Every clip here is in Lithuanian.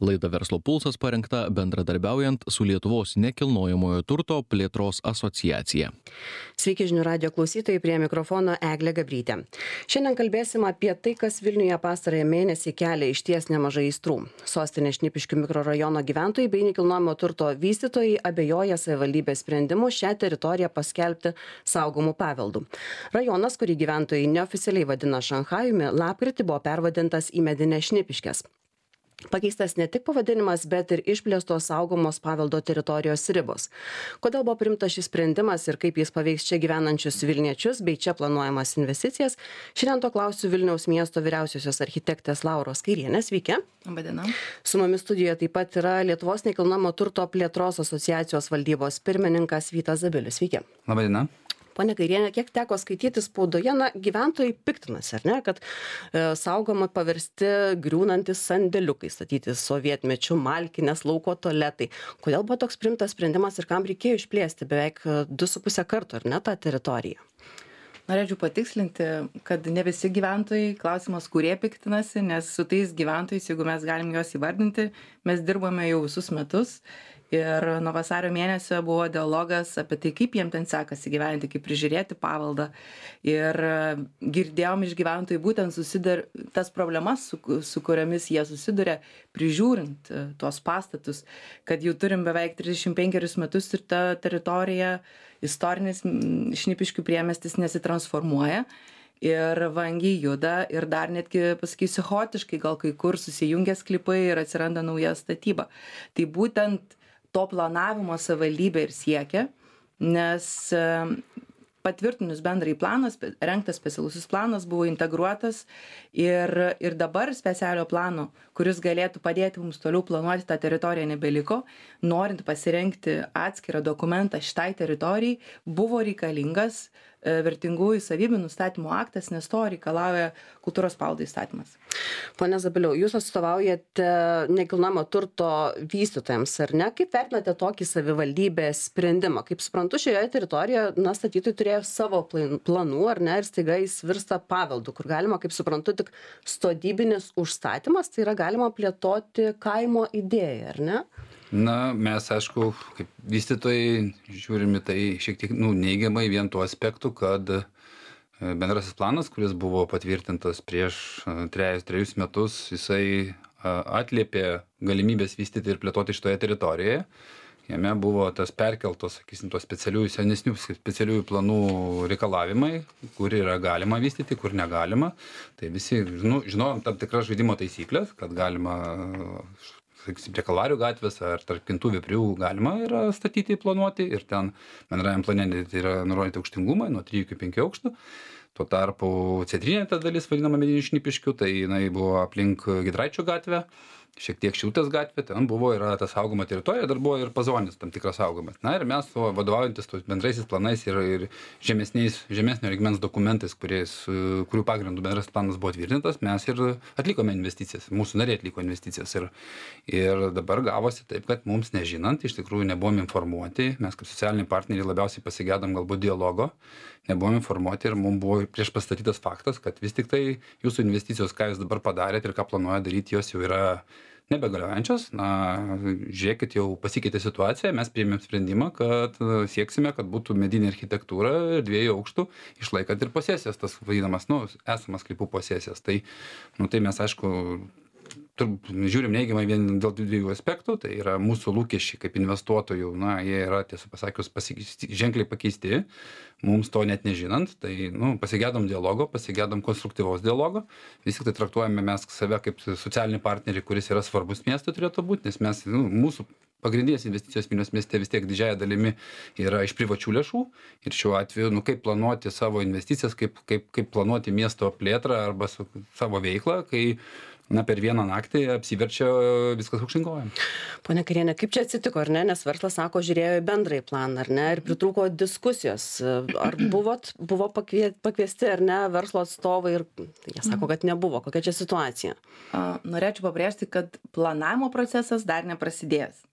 Laida Verslo pulsas parengta bendradarbiaujant su Lietuvos nekilnojamojo turto plėtros asociacija. Sveiki žinių radio klausytojai, prie mikrofono Eglė Gabrytė. Šiandien kalbėsim apie tai, kas Vilniuje pastarąjį mėnesį kelia išties nemažai aistrų. Sostinės Šnipiškių mikrorajono gyventojai bei nekilnojamo turto vystytojai abejoja savivaldybės sprendimu šią teritoriją paskelbti saugomų paveldų. Rajonas, kurį gyventojai neoficialiai vadina Šanchajumi, lapkritį buvo pervadintas į Medines Šnipiškes. Pakeistas ne tik pavadinimas, bet ir išplėstos saugomos paveldo teritorijos ribos. Kodėl buvo priimtas šis sprendimas ir kaip jis paveiks čia gyvenančius Vilniečius bei čia planuojamas investicijas, šiandien to klausiu Vilniaus miesto vyriausiosios architektės Lauros Kairienės. Sveiki. Labadiena. Su mumis studijoje taip pat yra Lietuvos nekilnojamo turto plėtros asociacijos valdybos pirmininkas Vytas Zabilius. Sveiki. Labadiena. Pone Kairienė, kiek teko skaityti spaudoje, gyventojai piktinasi, ar ne, kad saugoma paversti griūnantis sandėliukai, statyti sovietmečių malkinės, lauko tualetai. Kodėl buvo toks priimtas sprendimas ir kam reikėjo išplėsti beveik 2,5 karto, ar ne, tą teritoriją? Norėčiau patikslinti, kad ne visi gyventojai, klausimas, kurie piktinasi, nes su tais gyventojais, jeigu mes galim juos įvardinti, mes dirbame jau visus metus. Ir nuo vasario mėnesio buvo dialogas apie tai, kaip jiem ten sekasi gyventi, kaip prižiūrėti paveldą. Ir girdėjom iš gyventojų būtent tas problemas, su kuriamis jie susiduria, prižiūrint tuos pastatus, kad jau turim beveik 35 metus ir ta teritorija, istorinis Šnipiškių priemiestis nesitransformuoja. Ir vangiai juda ir dar netgi, pasakysiu, chaotiškai, gal kai kur susijungia sklypai ir atsiranda nauja statyba. Tai būtent to planavimo savivaldybė ir siekia, nes patvirtinus bendrąjį planą, rengtas specialusis planas buvo integruotas ir dabar specialio plano, kuris galėtų padėti mums toliau planuoti tą teritoriją, nebeliko. Norint pasirengti atskirą dokumentą šitai teritorijai, buvo reikalingas vertingųjų savybių nustatymo aktas, nes to reikalauja kultūros paveldo įstatymas. Pone Zabiliau, jūs atstovaujate nekilnojamo turto vystytojams, ar ne? Kaip vertinate tokį savivaldybės sprendimą? Kaip suprantu, šioje teritorijoje statytojai turėjo savo planų, ar ne, ir staiga jis virsta paveldu, kur galima, kaip suprantu, tik sodybinis užstatymas, tai yra galima plėtoti kaimo idėją, ar ne? Na, mes, aišku, kaip vystytojai žiūrime tai šiek tiek neigiamai vien tuo aspektu, kad bendrasis planas, kuris buvo patvirtintas prieš 3 metus, jisai atliepė galimybės vystyti ir plėtoti šitoje teritorijoje. Jame buvo tas perkeltos, sakysim, tos senesnių specialiųjų planų reikalavimai, kur yra galima vystyti, kur negalima. Tai visi žinojom tam tikras žaidimo taisyklės, kad galima, sakysim, prie Kalvarijų gatvės ar tarp Kintų Veprių galima yra statyti, planuoti ir ten bendrajam plane yra nurodyti aukštingumai nuo 3 iki 5 aukštų. Tuo tarpu centrinė ta dalis, vadinama Medinių Šnipiškių, tai jinai buvo aplink Giedraičio gatvę, šiek tiek Šilutės gatvė, ten yra ta saugoma teritorija, dar buvo ir pazonis tam tikras saugomas. Na ir mes vadovaujantis tos bendraisiais planais ir žemesnio lygmens dokumentais, kurių pagrindų bendras planas buvo tvirtintas, mes ir atlikome investicijas, mūsų nariai atliko investicijas. Ir dabar gavosi taip, kad mums nežinant, iš tikrųjų nebuvom informuoti, mes kaip socialiniai partneriai labiausiai pasigedom galbūt dialogo, nebuvom informuoti ir mums buvo prieš pastatytas faktas, kad vis tik tai jūsų investicijos, ką jūs dabar padarėt ir ką planuoja daryti, jos jau yra nebegaliojančios. Na, žiūrėkit, jau pasikeitė situacija, mes priėmėm sprendimą, kad sieksime, kad būtų medinė architektūra 2 aukštų, išlaikant ir posesijas, tas vadinamas, esamas sklypų posesijas. Tai mes, aišku, žiūrim neigiamai vien dėl 2 aspektų, tai yra mūsų lūkesčiai kaip investuotojų, jie yra, tiesą pasakius, ženkliai pakeisti, mums to net nežinant, tai pasigedom dialogo, pasigedom konstruktyvaus dialogo, vis tik tai traktuojame mes save kaip socialinį partnerį, kuris yra svarbus miestui turėtų būti, nes mes, mūsų pagrindinės investicijos Vilniaus mieste vis tiek didžiąja dalimi yra iš privačių lėšų ir šiuo atveju, kaip planuoti savo investicijas, kaip planuoti miesto plėtrą arba savo veiklą, kai per vieną naktį apsiverčia viskas aukštyn kojom. Pone Kairienė, kaip čia atsitiko, ar ne? Nes verslas sako, žiūrėjo į bendrąjį planą, ar ne? Ir pritrūko diskusijos. Ar buvo pakviesti, ar ne, verslo atstovai ir jie sako, kad nebuvo. Kokia čia situacija? Norėčiau pabrėžti, kad planavimo procesas dar neprasidėjęs.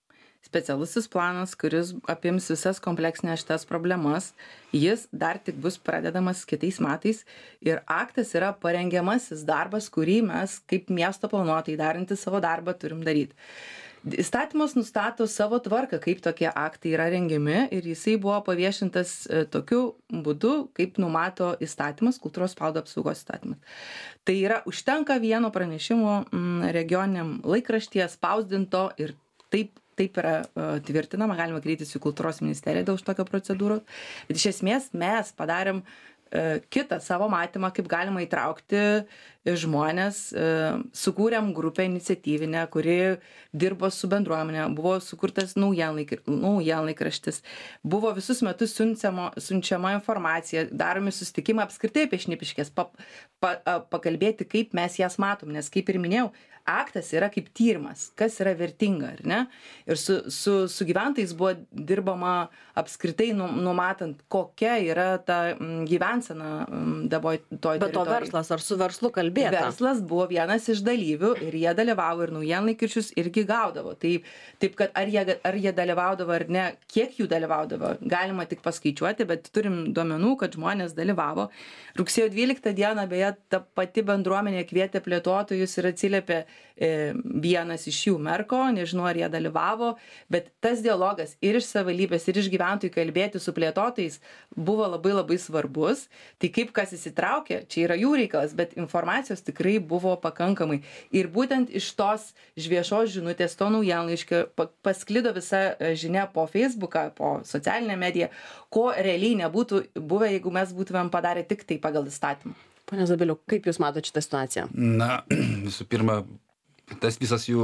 specialusis planas, kuris apims visas kompleksinės šitas problemas. Jis dar tik bus pradedamas kitais metais ir aktas yra parengiamasis darbas, kurį mes kaip miesto planuotojai darinti savo darbą turim daryti. Įstatymas nustato savo tvarką, kaip tokie aktai yra rengiami ir jisai buvo paviešintas tokiu būdu, kaip numato įstatymas, kultūros paveldo apsaugos įstatymas. Tai yra užtenka vieno pranešimo regioniniam laikraštyje spausdinto ir taip yra tvirtinama, galima kreiptis į kultūros ministeriją dėl šitokio procedūros. Bet iš esmės mes padarėm kitą savo matymą, kaip galima įtraukti žmonės, sukūrėm grupę iniciatyvinę, kuri dirbo su bendruomenė, buvo sukurtas naujienlaikraštis, buvo visus metus siunčiama informacija, daromi susitikimai apskritai apie Šnipiškes, pakalbėti, kaip mes jas matom, nes kaip ir minėjau, aktas yra kaip tyrimas, kas yra vertinga, ar ne? Ir su gyventojais buvo dirbama apskritai numatant, kokia yra ta gyvensena toj teritorijai. Bet to verslas, ar su verslu kalbėta? Verslas buvo vienas iš dalyvių ir jie dalyvavo ir naujienlaikraščius irgi gaudavo. Taip, kad ar jie dalyvaudavo ar ne, kiek jų dalyvaudavo, galima tik paskaičiuoti, bet turim duomenų, kad žmonės dalyvavo. Rugsėjo 12 dieną, beje, ta pati bendruomenė kvietė plėtotojus ir atsiliepė vienas iš jų Merko, nežinau ar jie dalyvavo, bet tas dialogas ir iš savivaldybės, ir iš gyventojų kalbėti su plėtotojais buvo labai labai svarbus. Tai kaip kas įsitraukė, čia yra jų reikalas, bet informacijos tikrai buvo pakankamai. Ir būtent iš tos viešos žinutės, to naujienlaiškio pasklido visa žinia po Facebooką, po socialinę mediją, ko realiai nebūtų buvę, jeigu mes būtumėm padarę tik tai pagal įstatymą. Pone Zabiliau, kaip Jūs matote šitą situaciją? Na, visų pirma, tas visas jų,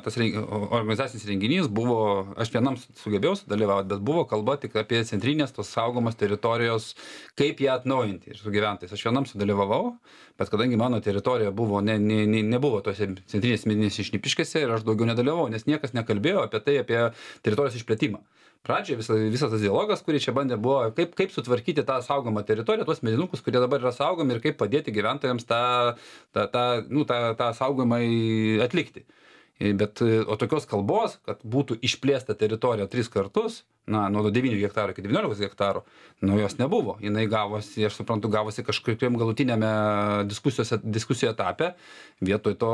tas organizacinis renginys buvo, aš vienam sugebėjau sudalyvauti, bet buvo kalba tik apie centrinės tos saugomos teritorijos, kaip ją atnaujinti ir su gyventojais. Aš vienam sudalyvavau, bet kadangi mano teritorija buvo, nebuvo tose centrinės medinėse Šnipiškėse ir aš daugiau nedalyvavau, nes niekas nekalbėjo apie tai, apie teritorijos išplėtimą. Pradžioje visas tas dialogas, kurį čia bandė, buvo, kaip sutvarkyti tą saugomą teritoriją, tuos medinukus, kurie dabar yra saugomi ir kaip padėti gyventojams tą saugomą atlikti. Bet, o tokios kalbos, kad būtų išplėsta teritorija 3 kartus, nuo 9 hektarų iki 19 hektarų, jos nebuvo. Jinai gavosi, aš suprantu, kažkokiam galutinėme diskusijų etape, vietoj to,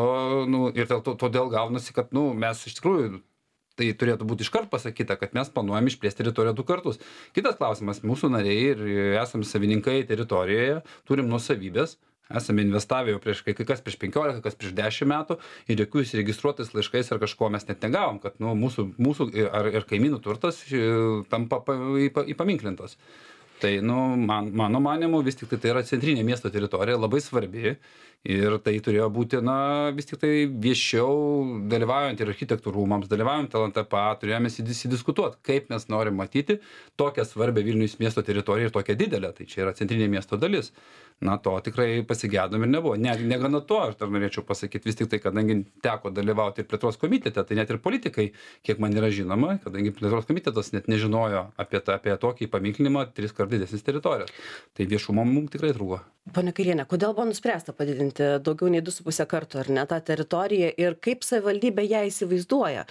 ir todėl gaunasi, kad, mes iš tikrųjų, tai turėtų būti iškart pasakyta, kad mes planuojam išplėsti teritoriją 2 kartus. Kitas klausimas, mūsų nariai ir esame savininkai teritorijoje, turim nuosavybės, esame investavę jau kai kas prieš 15, kas prieš 10 metų ir jokių įsiregistruotais laiškais ar kažko mes net negavom, kad mūsų ir kaimynų turtas tampa įpaminklintas. Tai, mano manimu, vis tik tai yra centrinė miesto teritorija, labai svarbi ir tai turėjo būti, vis tik tai viešiau dalyvaujant ir architektų rūmams, dalyvaujant LNTPA, turėjome įsidiskutuoti, kaip mes norim matyti tokią svarbę Vilniaus miesto teritoriją ir tokią didelę, tai čia yra centrinė miesto dalis. To tikrai pasigėdom ir nebuvo. Negana to, aš dar norėčiau pasakyti, vis tik tai, kadangi teko dalyvauti ir plėtros komitete, tai net ir politikai, kiek man yra žinoma, kadangi plėtros komitetas net nežinojo apie tokį paminklinimą 3 kart didesnis teritorijos. Tai viešumo mums tikrai trūko. Pone Kairienė, kodėl buvo nuspręsta padidinti daugiau nei 2,5 kartų, ar ne, tą teritoriją ir kaip savivaldybė ją įsivaizduoja?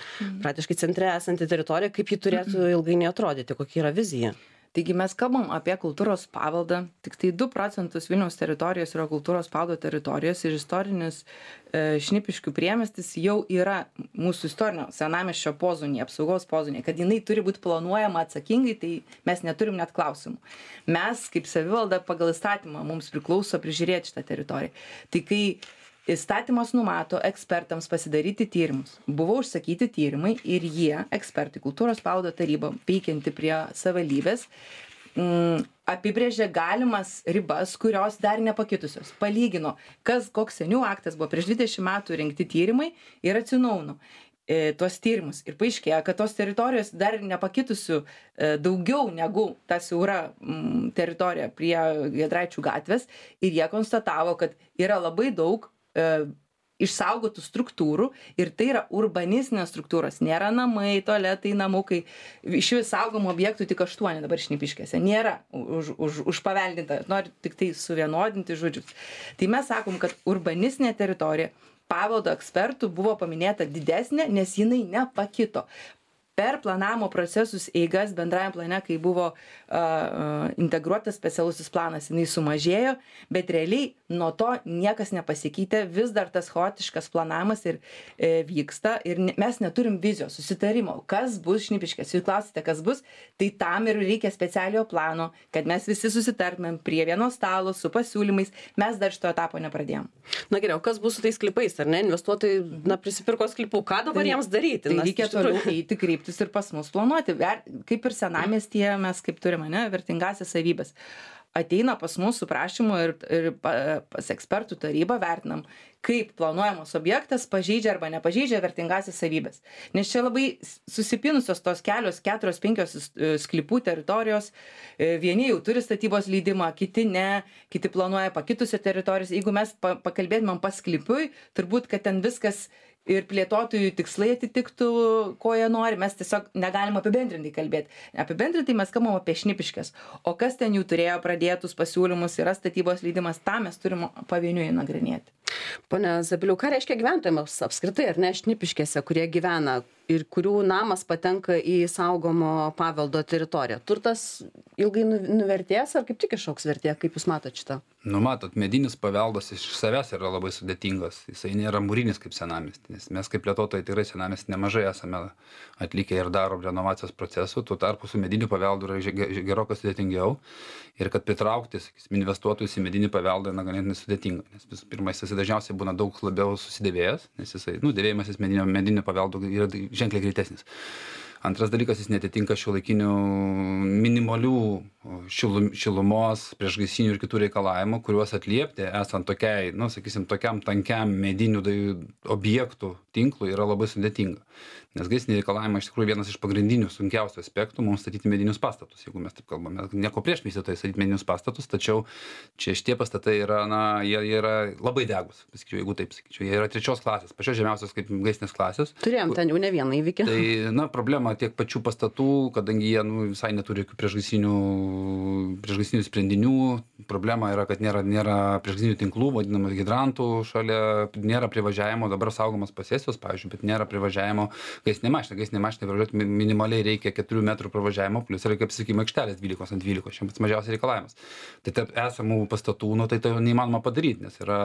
Praktiškai centre esanti teritorija, kaip ji turėtų ilgainiui atrodyti, kokia yra vizija? Taigi mes kalbam apie kultūros paveldą, tik tai 2 procentus Vilniaus teritorijos yra kultūros paveldo teritorijos ir istorinis Šnipiškių priemiestis jau yra mūsų istorinio senamiesčio pozonėje, apsaugos pozonėje, kad jinai turi būti planuojama atsakingai, tai mes neturim net klausimų. Mes kaip savivalda pagal įstatymą mums priklauso prižiūrėti šitą teritoriją. Tai kai įstatymas numato ekspertams pasidaryti tyrimus. Buvo užsakyti tyrimai ir jie, ekspertai, kultūros paveldo taryba, veikianti prie savivaldybės, apibrėžė galimas ribas, kurios dar nepakitusios. Palygino, koks seniau aktas buvo prieš 20 metų rengti tyrimai ir atsinaujino tuos tyrimus. Ir paaiškėjo, kad tos teritorijos dar nepakitusių daugiau negu ta siaura teritorija prie Giedraičių gatvės ir jie konstatavo, kad yra labai daug išsaugotų struktūrų ir tai yra urbanistinės struktūros. Nėra namai, tualetai, namukai. Iš vis saugomų objektų tik 8 dabar Šnipiškėse. Nėra užpaveldinta. Noriu tik tai suvienodinti žodžius. Tai mes sakom, kad urbanistinė teritorija paveldo ekspertų buvo paminėta didesnė, nes jinai nepakito. per planavimo procesus eigas bendrajam plane, kai buvo integruotas specialusis planas, jinai sumažėjo, bet realiai nuo to niekas nepasikeitė, vis dar tas chaotiškas planavimas ir vyksta ir mes neturim vizijos, susitarimo, kas bus Šnipiškės. Jūs klausite, kas bus, tai tam ir reikia specialiojo plano, kad mes visi susitartumėm prie vieno stalo su pasiūlymais, mes dar šito etapo nepradėjom. Na geriau, kas bus su tais klipais, ar ne? Investuotojai prisipirko klipų, ką dabar jiems daryti? Tai reikia toliau eiti, kreiptis ir pas mus planuoti. Kaip ir senamiestyje mes kaip turime, vertingasias savybės. Ateina pas mus su prašymu ir pas ekspertų tarybą vertinam, kaip planuojamas objektas pažeidžia arba nepažeidžia vertingasias savybės. Nes čia labai susipinusios tos kelios 4-5 sklypų teritorijos, vieni jau turi statybos leidimą, kiti ne, kiti planuoja pakitusią teritoriją. Jeigu mes pakalbėtumėm pas sklypui, turbūt, kad ten viskas ir plėtotojų tikslai atitiktų, ko jie nori, mes tiesiog negalim apibendrintai kalbėti. Apibendrintai mes kalbam apie Šnipiškes, o kas ten jų turėjo pradėtus pasiūlymus, yra statybos leidimas, tą mes turim pavieniui nagrinėti. Pone Zabiliau, ką reiškia gyventojams apskritai, ar ne, Šnipiškėse, kurie gyvena ir kurių namas patenka į saugomo paveldo teritoriją? Turtas ilgai nuvertės ar kaip tik išaugs vertė, kaip jūs matot šitą? Matot, medinis paveldas iš savęs yra labai sudėtingas. Jisai nėra mūrinis kaip senamiestis. Mes kaip plėtotojai tikrai senamiestis nemažai esame atlikę ir darom renovacijos procesų, tuo tarpu su mediniu paveldu yra gerokai sudėtingiau. Ir kad pritraukti, sakysim, investuotojus į medinį paveldą yra ganėtinai sudėtinga. Nes visų pirma, jisai dažniausiai būna daug labiau susidėvėjęs, nes jisai, dėvėjimasis medinio paveldo yra ženkliai greitesnis. Antras dalykas, jis netitinka šiuolaikinių minimalių šilumos, priešgaisrinių ir kitų reikalavimų, kuriuos atliepti esant tokiai, tokiam tankiam medinių objektų tinklui yra labai sudėtinga. Nes gaisriniai reikalavimai iš tikrųjų vienas iš pagrindinių sunkiausių aspektų mums statyti medinius pastatus, jeigu mes taip kalbame. Nieko prieš vystytojai statyti medinius pastatus, tačiau čia šitie pastatai yra, jie yra labai degus, jeigu taip sakyčiau, jie yra 3 klasės, pačios žemiausios kaip gaisrinės klasės. Turėjom ten jau ne vieną įvykį. Tai, problema tiek pačių pastatų, kadangi jie visai neturi jokių priešgaisrinių sprendinių, problema yra, kad nėra priešgaisrinių tinklų, vadinamų hidrantų šalia, nėra privažiavimo, dabar saugomas posesijos, pavyzdžiui, bet nėra privažiavimo gaisrinė mašina pravažiuoti minimaliai reikia 4 metrų pravažiavimo, plus yra kaip sakykime aikštelės 12 ant 12, šiandien pats mažiausias reikalavimas. Tai tarp esamų pastatų, tai neįmanoma padaryti, nes yra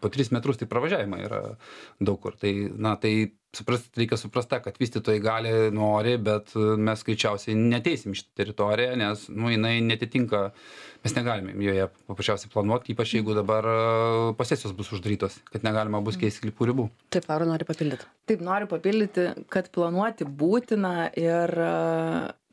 po 3 metrus tai pravažiavimai yra daug kur. Tai reikia suprasti, kad vystytojai nori, bet mes greičiausiai neteisim šitą teritoriją, nes jinai netitinka, mes negalime joje paprasčiausiai planuoti, ypač jeigu dabar posesijos bus uždarytos, kad negalima bus keisti sklypų ribų. Taip, Laura nori papildyti. Taip, noriu papildyti, kad planuoti būtina ir,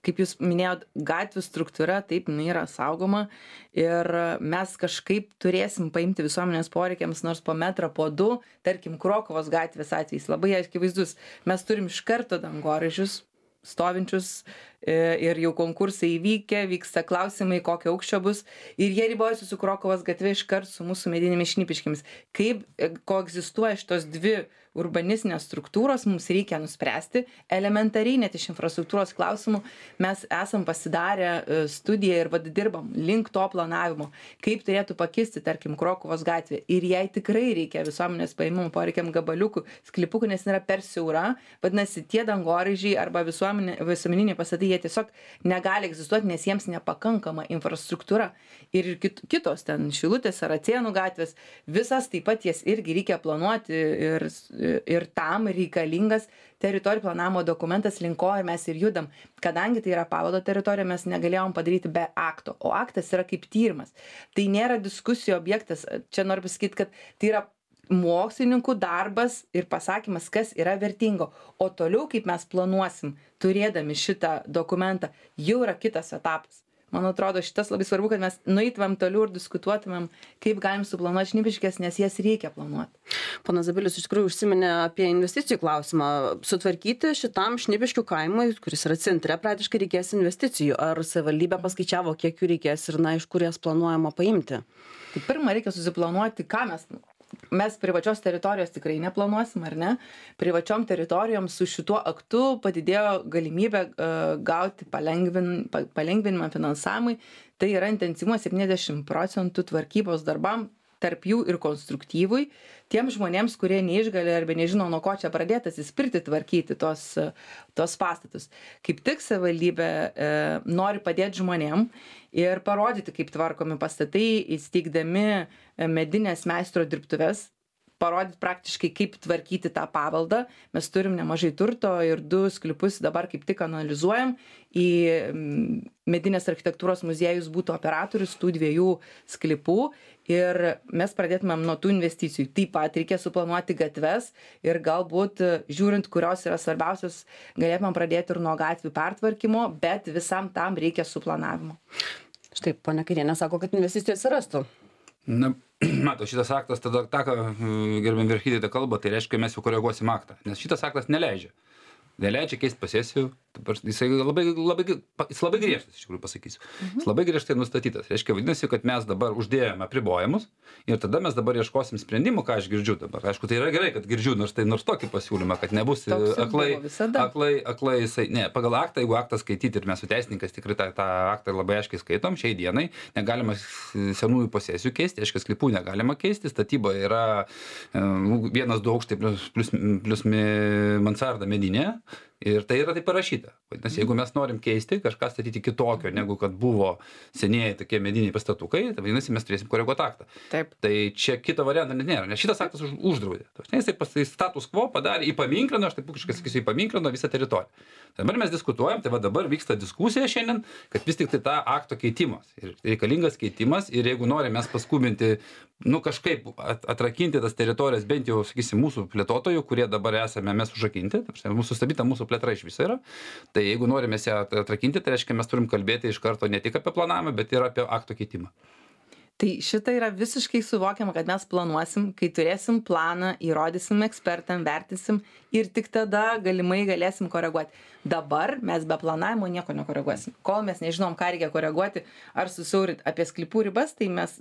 kaip jūs minėjot, gatvių struktūra, taip, jinai yra saugoma ir mes kažkaip turėsim paimti visuomenės poreikiams nors po metrą, po 2, tarkim, Krokuvos gatvės atvejais, labai akivaizdus. Mes turim iš karto dangoraižius stovinčius ir jau konkursai įvykę, vyksta klausimai, kokio aukščio bus ir jie ribojasi su Krokuvos gatve iškart su mūsų medinėmis Šnipiškėmis. Kaip koegzistuoja šitos 2 urbanistinės struktūros, mums reikia nuspręsti elementariai, net iš infrastruktūros klausimų. Mes esam pasidarę studiją ir dirbam link to planavimo, kaip turėtų pakisti, tarkim, Krokuvos gatvė. Ir jai tikrai reikia visuomenės paėmimų poreikiam gabaliukų, sklypukų, nes yra per siaura, vadinasi, tie dangoraižiai arba visuomeniniai pastatai, jie tiesiog negali egzistuoti, nes jiems nepakankama infrastruktūra. Ir kitos ten Šilutės, Saracėnų gatvės, visas taip pat jas irgi reikia planuoti ir tam reikalingas teritorijų planavimo dokumentas, link ko ir mes ir judam. Kadangi tai yra paveldo teritorija, mes negalėjom padaryti be akto, o aktas yra kaip tyrimas. Tai nėra diskusijų objektas. Čia noriu pasakyti, kad tai yra mokslininkų darbas ir pasakymas, kas yra vertingo. O toliau, kaip mes planuosim, turėdami šitą dokumentą, jau yra kitas etapas. Man atrodo, šitas labai svarbu, kad mes nueitumėm toliau ir diskutuotumėm, kaip galim suplanuoti Šnipiškes, nes jas reikia planuoti. Ponas Zabilius iš tikrųjų užsiminė apie investicijų klausimą. Sutvarkyti šitam Šnipiškių kaimui, kuris yra centre, praktiškai reikės investicijų. Ar savivaldybė paskaičiavo, kiek jų reikės ir iš kur jas planuojama paimti? Tai pirmą reikia susiplanuoti, ką mes privačios teritorijos tikrai neplanuosim, ar ne? Privačiom teritorijom su šituo aktu padidėjo galimybė gauti palengvinimą finansavimui. Tai yra intensyvumas 70% tvarkybos darbam tarp jų ir konstruktyvui, tiem žmonėms, kurie neišgali arba nežino, nuo ko čia pradėti atsispirti tvarkyti tos pastatus. Kaip tik savivaldybė nori padėti žmonėm ir parodyti, kaip tvarkomi pastatai, įsteigdami medinės meistro dirbtuves, parodyti praktiškai, kaip tvarkyti tą paveldą. Mes turim nemažai turto ir 2 sklypus dabar kaip tik analizuojam. Į medinės architektūros muziejus būtų operatorius tų 2 sklypų ir mes pradėtumėm nuo tų investicijų. Taip pat reikia suplanuoti gatves ir galbūt, žiūrint, kurios yra svarbiausios, galėtumėm pradėti ir nuo gatvių pertvarkymo, bet visam tam reikia suplanavimo. Štai, ponia Kairienė sako, kad investicijų atsirastų. Na, mato, šitas aktas, tada tą, ką gerbiam Verchidė kalba, tai reiškia, mes jau koreguosim aktą, nes šitas aktas neleidžia keisti posesijų, jis labai griežtas, iš tikrųjų pasakysiu. Jis labai griežtai nustatytas. Reiškia, vadinasi, kad mes dabar uždėjome apribojimus ir tada mes dabar ieškosim sprendimų, ką aš girdžiu dabar. Aišku, tai yra gerai, kad girdžiu, nors tokį pasiūlymą, kad nebus aklai jisai. Ne, pagal aktą, jeigu aktą skaityti ir mes su teisininkais tikrai tą aktą labai aiškiai skaitom, šiai dienai negalima senųjų posesijų keisti, reiškia, sklypų negalima keisti, statyba yra 1-2 aukštai plus mansarda medinė. Ir tai yra taip parašyta. Nes jeigu mes norim keisti, kažką statyti kitokio, negu kad buvo senieji tokie mediniai pastatukai, tai vadinasi, mes turėsim koreguoti aktą. Taip. Tai čia kito varianto net nėra, nes šitas aktas uždraudė. Jisai status quo padarė, įpaminklino, aš taip pukiškai sakysiu, įpaminklino visą teritoriją. Dabar mes diskutuojam, tai va dabar vyksta diskusija šiandien, kad vis tik tai tą akto keitimas. Ir reikalingas keitimas ir jeigu norim mes paskubinti, kažkaip atrakinti tas teritorijas, bent jau, sakysim, mūsų plėtotojų, kurie dabar esame mes užrakinti, mūsų sustabdyta mūsų plėtra iš viso yra, tai jeigu norime ją atrakinti, tai reiškia, mes turim kalbėti iš karto ne tik apie planavimą, bet ir apie akto keitimą. Tai šitą yra visiškai suvokiama, kad mes planuosim, kai turėsim planą, įrodysim ekspertam, vertinsim ir tik tada galimai galėsim koreguoti. Dabar mes be planavimo nieko nekoreguosim. Kol mes nežinom, ką reikia koreguoti ar susiaurinti apie sklypų ribas, tai mes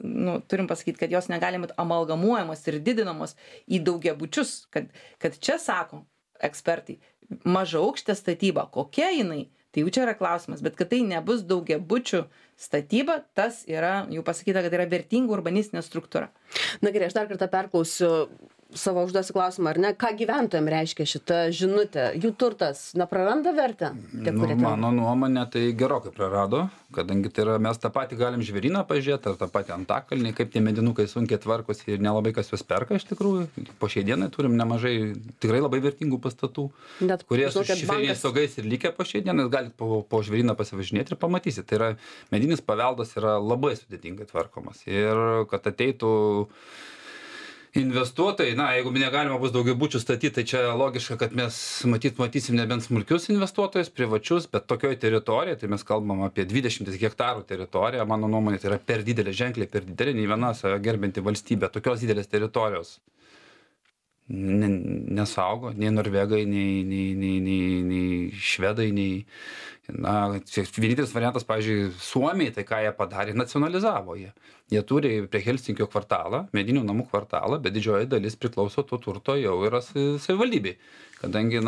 turim pasakyti, kad jos negali būti amalgamuojamos ir didinamos į daugiabučius, kad čia sako ekspertai, mažaaukštė statyba, kokia jinai, tai jau čia yra klausimas, bet kad tai nebus daugiabučių statyba, tas yra, jau pasakyta, kad yra vertinga urbanistinė struktūra. Na gerai, aš dar kartą perklausiu, savo užduosiu klausimą, ar ne, ką gyventojams reiškia šita žinutė, jų turtas praranda vertę? Mano nuomonė tai gerokai prarado, kadangi tai yra, mes tą patį galim žvėryną pažiūrėti, ar tą patį Antakalnį, kaip tie medinukai sunkiai tvarkosi ir nelabai kas juos perka iš tikrųjų. Po šiai dienai turim nemažai tikrai labai vertingų pastatų, kurie su šiferiniais stogais ir likę po šiai dienai, galite po žvėryną pasivažinėti ir pamatysite. Tai yra, medinis paveldas yra labai sudėtingai tvarkomas ir kad ateitų investuotojai, jeigu negalima bus daugiabučių statyti, tai čia logiška, kad mes matysim nebent smulkius investuotojus, privačius, bet tokioj teritorijoje, tai mes kalbam apie 20 hektarų teritoriją, mano nuomonė, tai yra per didelė, ženkliai per didelė, nei viena gerbinti valstybė, tokios didelės teritorijos nesaugo, nei norvegai, nei švedai, nei... Vienintelis variantas, pavyzdžiui, Suomiai, tai ką jie padarė, nacionalizavo jie. Jie turi prie Helsinkio kvartalą, medinių namų kvartalą, bet didžioji dalis priklauso to turto jau yra savivaldybei. Kadangi,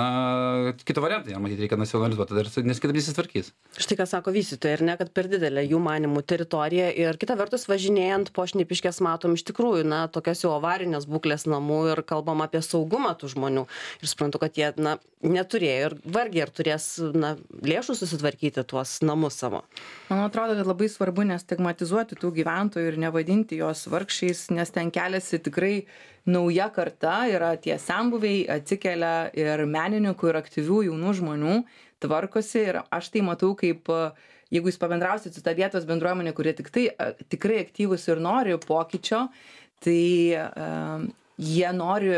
kito variantą, matyti, reikia nacionalizuoti, nes kitaip nesitvarkys. Štai ką sako vystytojai, ir ne, kad per didelė jų manimų teritorija ir kita vertus važinėjant po Šnipiškes matom iš tikrųjų, tokias jau avarinės būklės namų ir kalbam apie saugumą tų žmonių. Ir suprantu, kad jie, neturėjo ir vargiai ir turės, lėšų susitvarkyti tuos namus savo. Man atrodo, kad labai svarbu nestigmatizuoti tų gyventojų ir nevadinti jos vargšiais, nes ten keliasi tikrai nauja karta, yra tie senbuviai, atsikelia ir menininkų, ir aktyvių jaunų žmonių, tvarkosi ir aš tai matau kaip, jeigu jūs pabendrausit su ta vietos bendruomenė, kurie tikrai aktyvus ir nori pokyčio, tai jie nori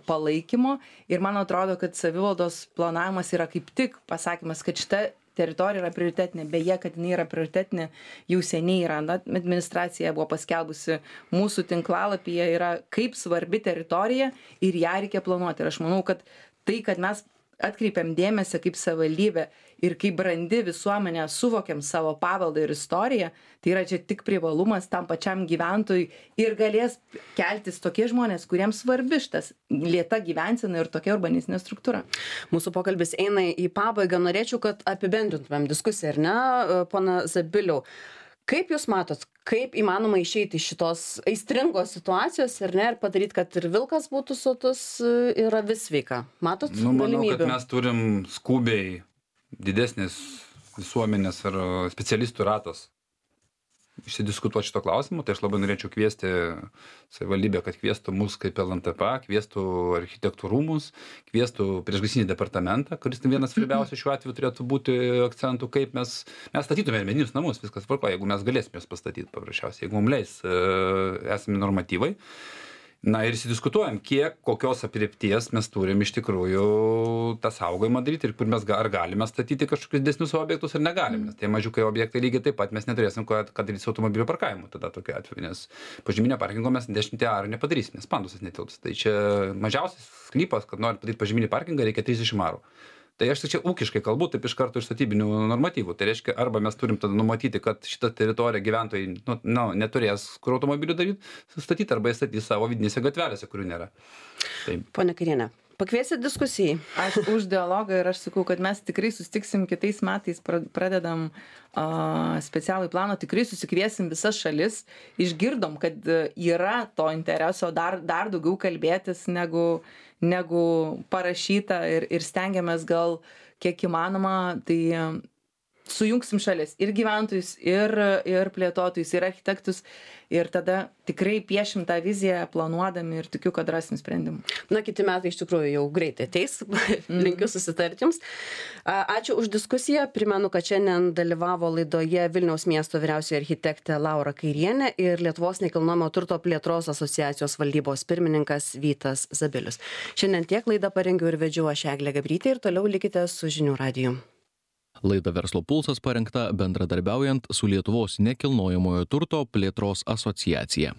palaikymo ir man atrodo, kad savivaldos planavimas yra kaip tik pasakymas, kad šita teritorija yra prioritetinė, beje, kad jinai yra prioritetinė, jau seniai yra, administracija buvo paskelbusi mūsų tinklalapyje, yra kaip svarbi teritorija ir ją reikia planuoti. Ir aš manau, kad tai, kad mes atkreipiam dėmesį kaip savivaldybė ir kaip brandi visuomenė suvokiam savo paveldą ir istoriją, tai yra čia tik privalumas tam pačiam gyventojui ir galės keltis tokie žmonės, kuriems svarbi šitas lėta gyvensena ir tokia urbanistinė struktūra. Mūsų pokalbis eina į pabaigą, norėčiau, kad apibendrintumėm diskusiją, ar ne, pana Zabiliau. Kaip jūs matot, kaip įmanoma išeiti iš šitos aistringos situacijos ir padaryti, kad ir vilkas būtų sotus ir avis sveika? Matot Manau, galimybių? kad mes turim skubiai didesnis visuomenės ar specialistų ratas išsidiskutuoti šito klausimu. Tai aš labai norėčiau kviesti savivaldybę, kad kviestų mus kaip LNTP, kviestų architektų rūmus, kviestų priešgaisrinį departamentą, kuris vienas svarbiausių šiuo atveju turėtų būti akcentų, kaip mes statytume medinius namus, viskas tvarkoja, jeigu mes galėsime juos pastatyti paprasčiausiai, jeigu mums leis esami normatyvai. Na ir įsidiskutuojam, kokios aprėpties mes turim iš tikrųjų tą saugojimą daryti ir kur mes ar galime statyti kažkokius didesnius objektus ar negalime. Nes tie mažiukai objektai lygiai taip pat mes neturėsim ką daryti su automobilių parkavimu tada tokiu atveju, nes požeminio parkingo mes 10 arų nepadarysim, nes pandusas netilps. Tai čia mažiausias sklypas, kad nori padaryti požeminį parkingą, reikia 30 arų. Tai aš čia ūkiškai kalbu, taip iš karto iš statybinių normatyvų. Tai reiškia, arba mes turim tada numatyti, kad šitą teritoriją gyventojai neturės kur automobilių statyti, arba jie statys savo vidinėse gatvelėse, kurių nėra. Taip. Pone Kairiene, pakviesit diskusijai? Aš už dialogą ir aš sakau, kad mes tikrai susitiksim kitais metais, pradedam specialų planą, tikrai susikviesim visas šalis, išgirdom, kad yra to intereso dar daugiau kalbėtis negu parašyta ir stengiamės gal kiek įmanoma, tai sujungsim šalis ir gyventojus, ir plėtotojus, ir architektus ir tada tikrai piešim tą viziją planuodami ir tikiu, kad rasim sprendimų. Na, kiti metai iš tikrųjų jau greitai ateis, linkiu susitarti jums. Ačiū už diskusiją, primenu, kad šiandien dalyvavo laidoje Vilniaus miesto vyriausioji architektė Laura Kairienė ir Lietuvos nekilnojamo turto plėtros asociacijos valdybos pirmininkas Vytas Zabilius. Šiandien tiek laidą parengiau ir vedžiau aš Eglė Gabrytė ir toliau likite su Žinių radiju. Laida Verslo pulsas parengta bendradarbiaujant su Lietuvos nekilnojamojo turto plėtros asociacija.